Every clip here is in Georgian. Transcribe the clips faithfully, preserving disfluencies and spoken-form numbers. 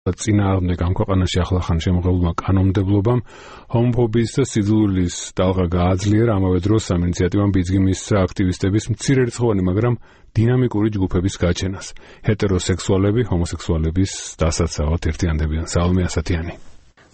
წინააღმდეგ ამ ქვეყანაში ახლახან შემოღებულმა კანონმდებლობამ ჰომოფობიის და სიძულვილის ტალღა გააძლიერა, ამავე დროს ამ ინიციატივამ ბიძგი მისცა აქტივისტების მცირერიცხოვანი, მაგრამ დინამიკური ჯგუფების გაჩენას. ჰეტეროსექსუალები ჰომოსექსუალების დასაცავად ერთიანდებიან. სალომე ასათიანი.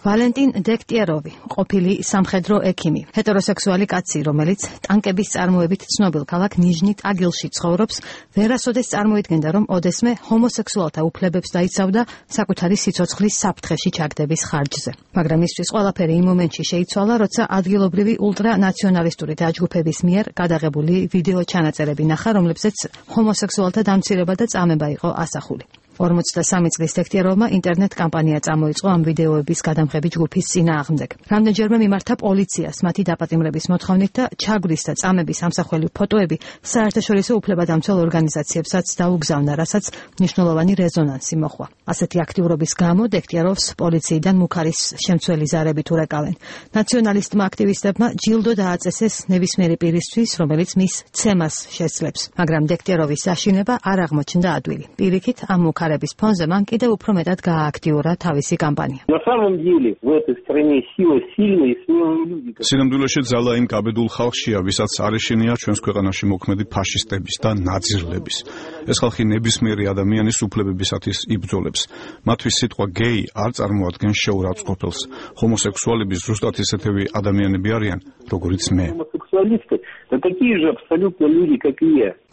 ვალენტინ დექტიეროვი, ყოფილი სამხედრო ექიმი, ჰეტეროსექსუალი კაცი, რომელიც ტანკების წარმოებით ცნობილ ქალაქ ნიჟნი-ტაგილში ცხოვრობს, ვერასოდეს წარმოიდგენდა, რომ ოდესმე ჰომოსექსუალთა უფლებებს დაიცავდა საკუთარი სიცოცხლის საფრთხეში ჩაგდების ხარჯზე. მაგრამ მისთვის ყველაფერი იმ მომენტში შეიცვალა, როცა ადგილობრივი ულტრანაციონალისტური დაჯგუფების მიერ გადაღებული ვიდეო ჩანაწერები ნახა, რომლებზეც ჰომოსექსუალთა დამცირება და წამება იყო ასახული. ორმოცდასამი წლის დექტიეროვმა ინტერნეტ კამპანია წამოიწყო ამ ვიდეოების გადამღები ჯგუფის წინააღმდეგ. რამდენჯერმე მიმართა პოლიციას მათი დაპატიმრების მოთხოვნით და ჩაგვრის და წამების ამსახველი ფოტოები საერთაშორისო უფლებადამცველ ორგანიზაციებსაც დაუგზავნა, რასაც მნიშვნელოვანი რეზონანსი მოჰყვა. ასეთი აქტიურობის გამო დექტიეროვს პოლიციიდან მუქარის შემცველი ზარებით ურეკავენ. ნაციონალისტმა აქტივისტებმა ჯილდო დააწესეს ნებისმიერი პირისთვის, რომელიც მის ცემას შესძლებს, მაგრამ დექტიეროვის საშინება არ აღმოჩნდა ადვილი. პირიქით ამ მუქარების ფონზე მან კიდევ უფრო მეტად გაააქტიურა თავისი კამპანია. სინამდვილეში ძალა იმ კაბედულ ხალხშია, ვისაც არ ეშინია ჩვენს ქვეყანაში მოქმედი ფაშისტების და ნაძირლების. ეს ხალხი ნებისმიერი ადამიანის უფლებებისათვის იბრძოლებს. მათთვის სიტყვა გეი არ წარმოადგენს შეურაცხყოფელს. ჰომოსექსუალები ზუსტად ისეთები ადამიანები არიან, როგორიც მე.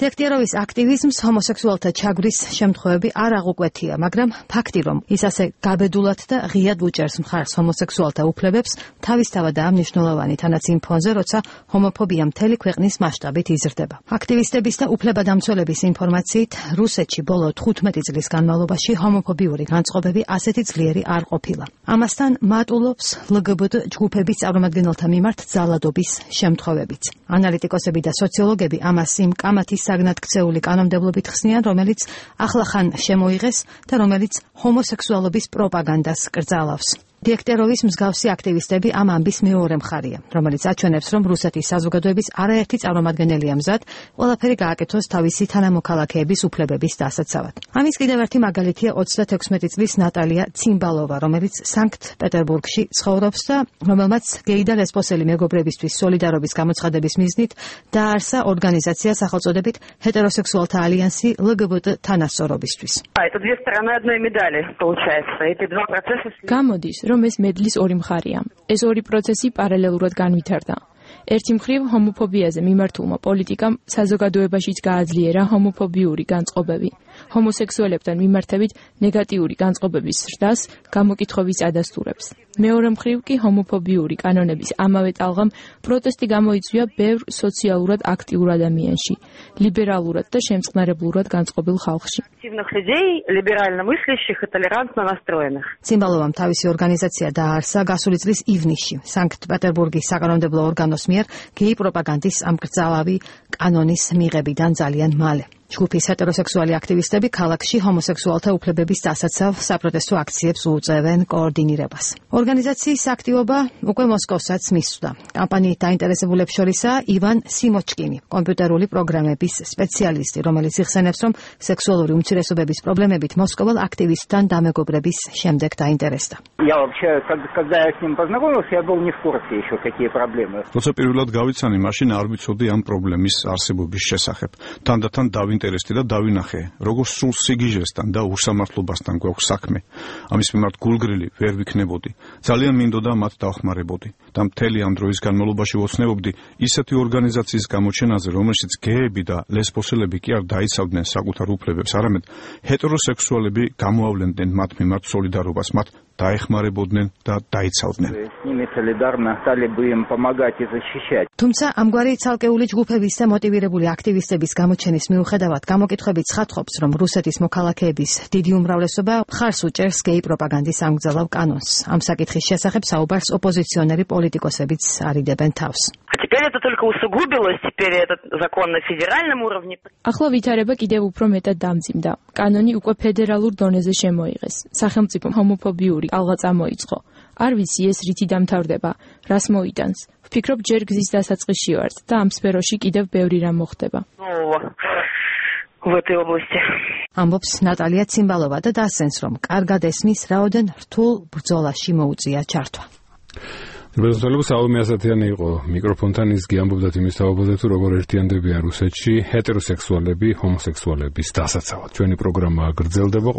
დექტიეროვის აქტივიზმს ჰომოსექსუალთა ჩაგვრის შემთხვევები არ აღუკვეთია, მაგრამ ფაქტი, რომ ის ასე გაბედულად და ღიად უჭერს მხარს ჰომოსექსუალთა უფლებებს, თავისთავადაა მნიშვნელოვანი, თანაც იმ ფონზე, როცა ჰომოფობია მთელი ქვეყნის მასშტაბით იზრდება. აქტივისტების და უფლებადამცველების ინფორმაციით, რუსეთში ბოლო თხუთმეტი წლის განმავლობაში ჰომოფობიური განწყობები ასეთი ძლიერი არ ყოფილა. ამასთან მატულობს ლგბტ ჯგუფების წარმომადგენელთა მიმართ ძალადობის შემთხვევებიც. ანალიტიკოსები და სოციოლოგები ამას იმ კამათის საგნად ქცეული კანონმდებლობით ხსნიან, რომელიც ახლახან შემოიღეს და რომელიც ჰომოსექსუალობის პროპაგანდას კრძალავს. დექტიეროვის მსგავსი აქტივისტები ამ ამბის მეორე მხარია, რომელიც აჩვენებს, რომ რუსეთის საზოგადოების არაერთი წარმომადგენელია მზად ყველაფერი გააკეთოს თავისი თანამოქალაქეების უფლებების დასაცავად. ამის კიდევ ერთი მაგალითია ოცდათექვსმეტი წლის ნატალია ციმბალოვა, რომელიც სანქტ-პეტერბურგში ცხოვრობს და რომელმაც გეი და ლესბოსელი მეგობრებისთვის სოლიდარობის გამოცხადების მიზნით დააარსა ორგანიზაცია სახელწოდებით ჰეტეროსექსუალთა ალიანსი ლგბტ თანასწორობისთვის. გამოდის, რომ ეს მედლის ორი მხარია. ეს ორი პროცესი პარალელურად განვითარდა. ერთი მხრივ ჰომოფობიაზე მიმართულმა პოლიტიკამ საზოგადოებაშიც გააძლიერა ჰომოფობიური განწყობები. ჰომოსექსუალებთან მიმართებით ნეგატიური განწყობების ზრდას გამოკითხვების ადასტურებს. მეორე მხრივ კი ჰომოფობიური კანონების ამავე ტალღამ პროტესტი გამოიწვია ბევრ სოციალურად აქტიურ ადამიანში, ლიბერალურად და შემწყნარებლურად განწყობილ ხალხში. ციმბალოვამ თავისი ორგანიზაცია დააარსა გასული წლის ივნისში სანქტ-პეტერბურგის საკანონმდებლო ორგანოს მიერ გეი პროპაგანდის ამკრძალავი კანონის მიღებიდან ძალიან მალე. ჯგუფის ჰეტეროსექსუალი აქტივისტები ქალაქში ჰომოსექსუალთა უფლებების დასაცავ საპროტესტო აქციებს უწევენ კოორდინირებას. ორგანიზაციის აქტივობა უკვე მოსკოვსაც მისვდა. კამპანიით დაინტერესებულებს შორისაა ივან სიმოჩკინი, კომპიუტერული პროგრამების სპეციალისტი, რომელიც იხსენებს, რომ სექსუალური უმცირესობების პრობლემებით მოსკოველ აქტივისტთან დამეგობრების შემდეგ დაინტერესდა. როცა პირველად გავიცანი, მაშინ არ ვიცოდი ამ პრობლემის არსებობის შესახებ. თანდათან დავინტერესდი და დავინახე, როგორ სულ სიგიჟესთან და უსამართლობასთან გვაქვს საქმე. ამის მიმართ გულგრილი ვერ ვიქნებოდი. ძალიან მინდოდა მათ დავხმარებოდი და მთელი ამ დროის განმავლობაში ვოცნებობდი ისეთი ორგანიზაციის გამოჩენაზე, რომელშიც გეები და ლესბოსელები კი არ დაიცავდნენ საკუთარ უფლებებს, არამედ ჰეტეროსექსუალები გამოავლენდნენ მათ მიმართ სოლიდარობას, მათ დაეხმარებოდნენ და დაიცავდნენ. თუმცა ამგვარი ცალკეული ჯგუფების და მოტივირებული აქტივისტების გამოჩენის მიუხედავად გამოკითხვები ცხადყოფს, რომ რუსეთის მოქალაქეების დიდი უმრავლესობა მხარს უჭერს გეი პროპაგანდის ამგზავრ კანონს. ამ საკითხის შესახებ საუბარს ოპოზიციონერი პოლიტიკოსებიც არიდებენ თავს. ახლა ვითარება კიდევ უფრო მეტად დამძიმდა. კანონი უკვე ფედერალურ დონეზე შემოიღეს. სახელმწიფო ჰომოფობიური ალღა წამოიწყო. არ ვიცი ეს რითი დამთავრდება, რას მოიტანს. ვფიქრობ ჯერ გზის დასაწყისში ვართ და ამ სფეროში კიდევ ბევრი რამ მოხდება. в этой области. ამბობს ნატალია ციმბალოვა და დასცენს, რომ კარგად ესმის, რაოდენ რთულ ბრძოლაში მოუწია ჩართვა. ბრძოლები საომი ასათიანი იყო მიკროფონთან ის გიამბობდათ იმის თაობაზე თუ როგორ ერთიანდებიან რუსეთში ჰეტეროსექსუალები ჰომოსექსუალების დასაცავად. ჩვენი პროგრამა გრძელდება.